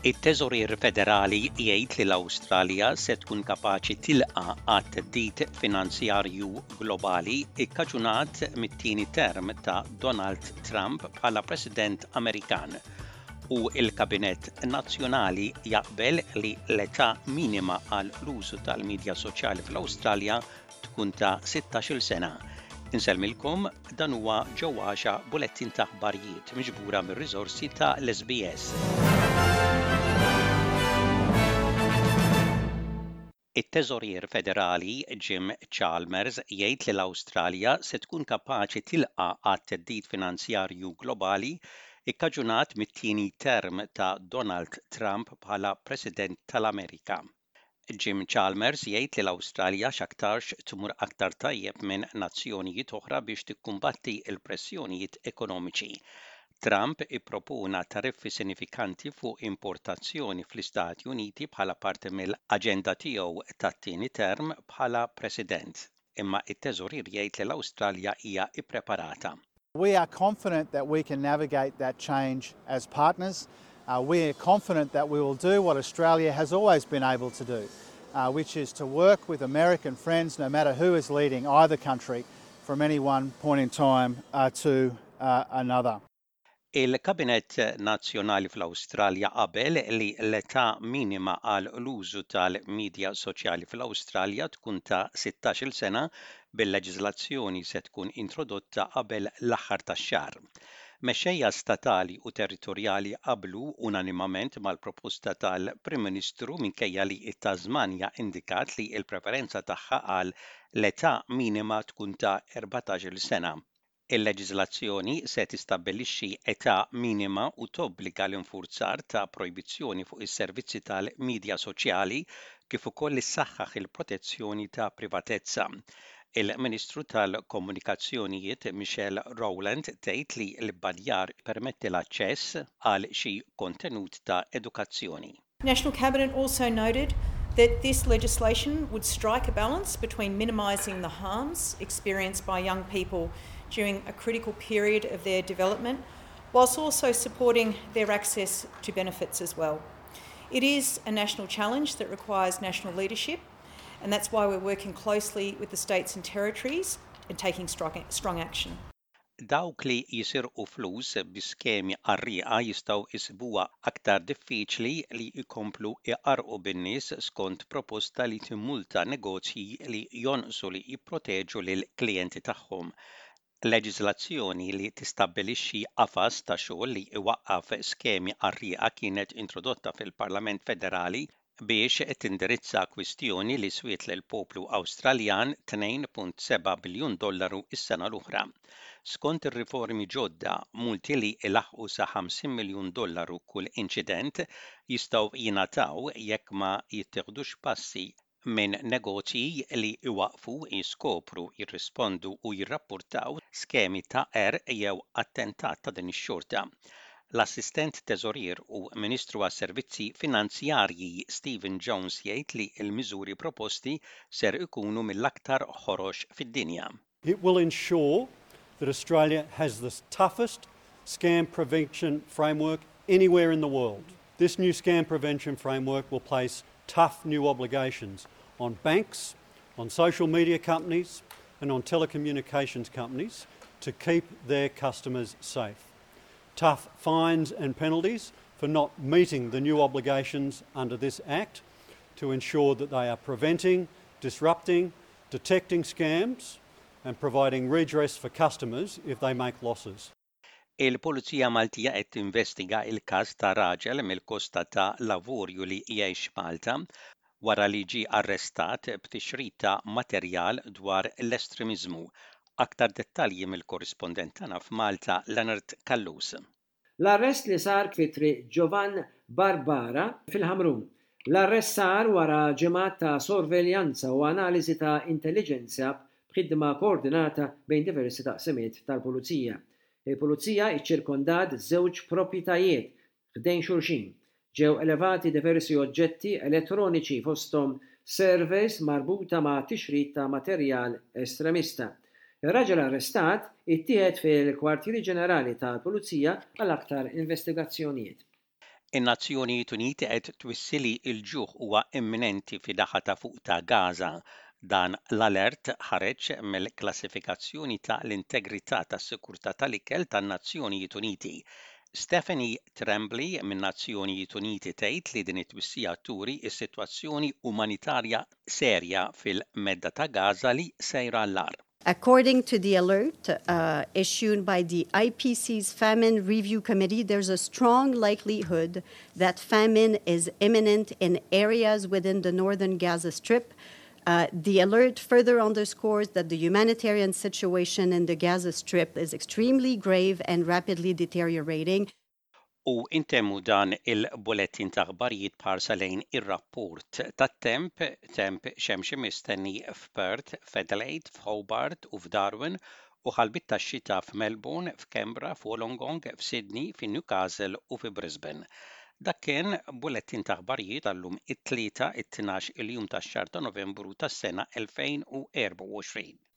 It-Teżorier Federali jgħid li l-Awstralja se tkun kapaċi tilqa' għat-theddid finanzjarju globali kkaġunat mit-tieni term ta' Donald Trump bħala President Amerikan u l-Kabinett Nazzjonali jaqbel li l-età minima għal l-użu tal-midja soċjali fl-Awstralja tkun ta' 16-il sena. Insellmilkom, dan huwa Joe Axiaq bulettin ta' aħbarijiet miġbura mir-riżorsi ta' l-SBS. It-Teżorier Federali Jim Chalmers jgħid li l-Awstralja se tkun kapaċi tilqa' għat-theddid finanzjarju globali kkaġunat mit-tieni term ta' Donald Trump bħala President tal-Amerika. Jim Chalmers jgħid li l-Awstralja x'aktarx tmur aktar tajjeb minn nazzjonijiet oħra biex tikkumbatti l-pressjonijiet ekonomiċi. Trump ippropona tariffi sinifikanti fuq importazzjoni fl-Istati Uniti bħala parti mill-aġenda tiegħu tat-tieni term bħala President. Imma t-Teżorier jgħid li l-Awstralja hija ppreparata. We are confident that we can navigate that change as partners. Uh, we are confident that we will do what Australia has always been able to do, uh, which is to work with American friends, no matter who is leading either country, from any one point in time uh, to uh, another. Il-Kabinett Nazzjonali fl-Awstralja qabel li l-età minima għal l-użu tal-midja soċjali fl-Awstralja tkun ta' 16-il sena bil-leġiżlazzjoni se tkun introdotta qabel l-aħħar tax-xahar. Mexxejja statali u territorjali qablu unanimament mal-proposta tal-Prim Ministru minkejja li t-Tasmanja indikat li l-preferenza tagħha għal l-età minima tkun ta' 14-il sena. Il-leġiżlazzjoni se tistabbilixxi età minima u tobbliga l-infurzar ta' projbizzjoni fuq is-servizzi tal-midja soċjali kif ukoll issaħħaħ il-protezzjoni ta' privatezza. Il-Ministru tal-Komunikazzjonijiet Michelle Rowland tgħid li l-ibbanjar jippermetti l-aċċess għal xi kontenut ta' edukazzjoni. National Cabinet also noted that this legislation would strike a balance between minimising the harms experienced by young people during a critical period of their development, whilst also supporting their access to benefits as well. It is a national challenge that requires national leadership, and that's why we're working closely with the states and territories and taking strong, strong action. Dawk li jisirqu flus bi skemi qarrieqa jistgħu jsibuha aktar diffiċli li jkomplu jqarrqu bin-nies skont proposta li timmulta negozji li jonqsu li jipproteġu lill-klijenti tagħhom. Leġiżlazzjoni li tistabbilixxi qafas ta' xogħol li jwaqqaf skemi qarrieqa kienet introdotta fil-Parlament Federali biex tindirizza kwistjoni li swiet lill-poplu Awstraljan 2.7 biljun dollaru s-sena l-oħra. Skont ir-riformi ġodda, multi li jlaħħqu sa 50 miljun dollaru kull inċident jistgħu jingħataw jekk ma jittieħdux passi minn negozji li jwaqqfu, jiskopru, jirrispondu u jirrappurtaw skemi ta' qerq jew attentat ta' din ix-xorta. L-Assistent Teżorier u Ministru għas-Servizzi Finanzjarji Stephen Jones jgħid li l-miżuri proposti ser ikunu mill-aktar ħorox fid-dinja. It will ensure that Australia has the toughest scam prevention framework anywhere in the world. This new scam prevention framework will place tough new obligations on banks, on social media companies and on telecommunications companies to keep their customers safe. Tough fines and penalties for not meeting the new obligations under this Act to ensure that they are preventing, disrupting, detecting scams and providing redress for customers if they make losses. Il-Pulizija Maltija qed tinvestiga l-każ ta' raġel mill-Kosta ta' l-Avorju li jgħix Malta wara li ġie arrestat b'tixrid ta' materjal dwar l-estremiżmu. Aktar dettalji mill-korrispondent tagħna f'Malta Leonard Callus. L-arrest li sar fi Triq Giovann Barbara fil-Ħamrun. L-arrest sar wara ġimgħat ta' sorveljanza u analiżi ta' intelliġenza b'ħidma koordinata bejn diversi taqsimiet tal-Pulizija. Il-Pulizija iċċirkondat żewġ proprjetajiet ħdejn xulxin. Ġew elevati diversi oġġetti elettroniċi fosthom servers marbuta ma' tixrid ta' materjal estremista. Ir-raġel arrestat ittieħed fil-Kwartieri Ġenerali tal-Pulizija għal aktar investigazzjonijiet. In-Nazzjonijiet Uniti qed twissi li l-ġuħ huwa imminenti fin-naħa ta' fuq ta' Gaza. Dan l-alert ħareġ mill-klassifikazzjoni ta' l-integrità tas-sikurtà tal-ikel tan-Nazzjonijiet Uniti. Stephanie Tremblay min-Nazzjonijiet Uniti tgħid li din it-twissija turi s-sitwazzjoni umanitarja serja fil-Medda ta' Gaza li sejra għall-agħar. According to the alert uh, issued by the IPC's Famine Review Committee, there's a strong likelihood that famine is imminent in areas within the northern Gaza Strip. Uh, the alert further underscores that the humanitarian situation in the Gaza Strip is extremely grave and rapidly deteriorating. U intemmu dan il-bulettin ta' aħbarijiet b'ħarsa lejn ir-rapport tat-temp, temp xemxi mistenni f'Perth, f'Adelaide, f'Hobart u f'Darwin u ħalbiet tax-xita f'Melbourne, f'Canberra, f'Wollongong, f'Sydney, fi Newcastle u fi Brisbane. Dak kien bulettin ta' aħbarijiet għal-lum it-Tlieta, it-12 il-jum tax-xahar ta' Novembru tas-sena 2024.